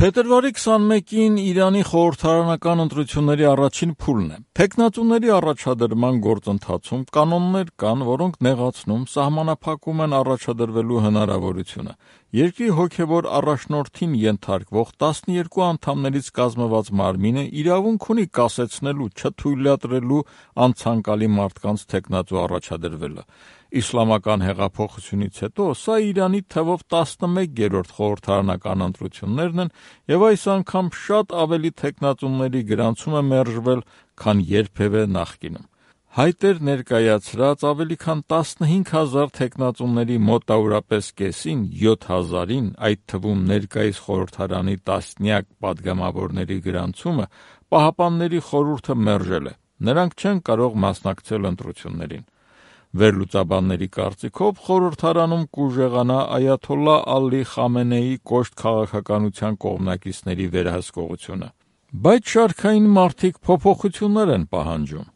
Փետրվարի 21-ին Իրանի խորհրդարանական ընտրությունների առաջին փուլն է։ Թեկնածուների առաջադրման գործընթացում կանոններ կան, որոնք նեղացնում, սահմանափակում են առաջադրվելու հնարավորությունը։ Երկրի հոգևոր առաջնորդին ենթարկվող 12 անդամներից կազմված մարմինը իրավունք ունի կասեցնելու, չթույլատրելու անցանկալի մարդկանց թեկնածու առաջադրվելը։ Իսլամական հեղափոխությունից հետո սա Իրանի թվով 11-րդ խորհրդարանական ընտրություններն են և այս անգամ շատ ավելի թեկնածուների գրանցում է մերժվել, քան երբևէ նախկինում։ Հայտեր ներկայացրած ավելի քան 15,000 թեկնածուների մոտավորապես կեսին, 7,000-ին, այդ թվում ներկայիս խորհրդարանի տասնյակ պատգամավորների գրանցումը Պահապանների խորհուրդը մերժել է։ Նրանք չեն կարող մասնակցել ընտրություններին։ Վերլուծաբանների կարծիքով խորհրդարանում կուժեղանա այաթոլլահ Ալի Խամենեիի կոշտ քաղաքականության կողմնակիցների վերահսկողությունը։ Բայց շարքային մարդիկ փոփոխություններ են պահանջում։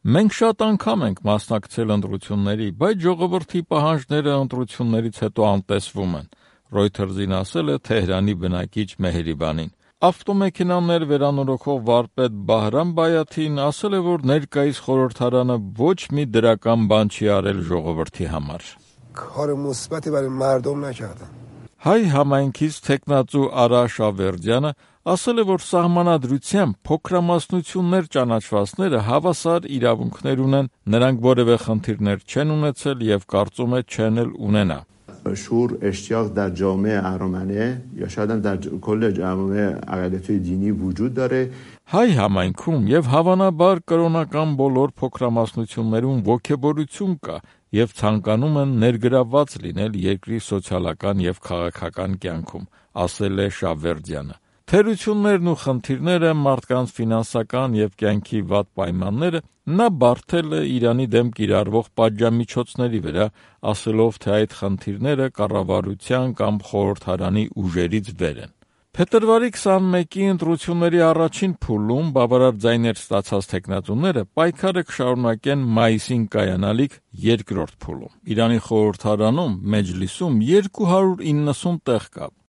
Մենք շատ անգամ ենք մասնակցել ընտրությունների, բայց ժողովրդի պահանջները ընտրություններից հետո անտեսվում են, Reuters-ին ասել է Թեհրանի բնակիչ Մեհրիբանին։ Ավտոմեքենաներ վերանորոգող վարպետ Բահրամ Բայաթին ասել է, որ ներկայիս խորհրդարանը ոչ մի դրական բան չի արել ժողովրդի համար։ Հայ համայնքից թեկնածու Արա Շավերդյանը ասել է, որ սահմանադրությամբ փոքրամասնություններ ճանաչվածները հավասար իրավունքներ ունեն, նրանք որևէ խնդիրներ չեն ունեցել և կարծում է չեն էլ ունենա։ شعور اشتیاق در جامعه ارمنه یا شاید هم در کل جامعه اقلیت‌های دینی وجود داره. Հայ համայնքում եւ հավանաբար կրոնական բոլոր փոքրամասնություններում ոգեբորություն կա եւ ցանկանում են ներգրավված լինել երկրի սոցիալական եւ քաղաքական կյանքում, ասել է Շավերդյանը։ Թերություններն ու խնդիրները, մարդկանց ֆինանսական եւ կյանքի վատ պայմանները նա բարդել է Իրանի դեմ կիրառվող պատժամիջոցների վրա, ասելով, թե այդ խնդիրները կառավարության կամ խորհրդարանի ուժերից վեր են։ Փետրվարի 21-ի ընտրությունների առաջին փուլում բավարար ձայներ ստացած թեկնածուները պայքարը կշարունակեն մայիսին կայանալիք երկրորդ փուլում։ Իրանի խորհրդարանում, Մեջլիսում 290 տեղ կա։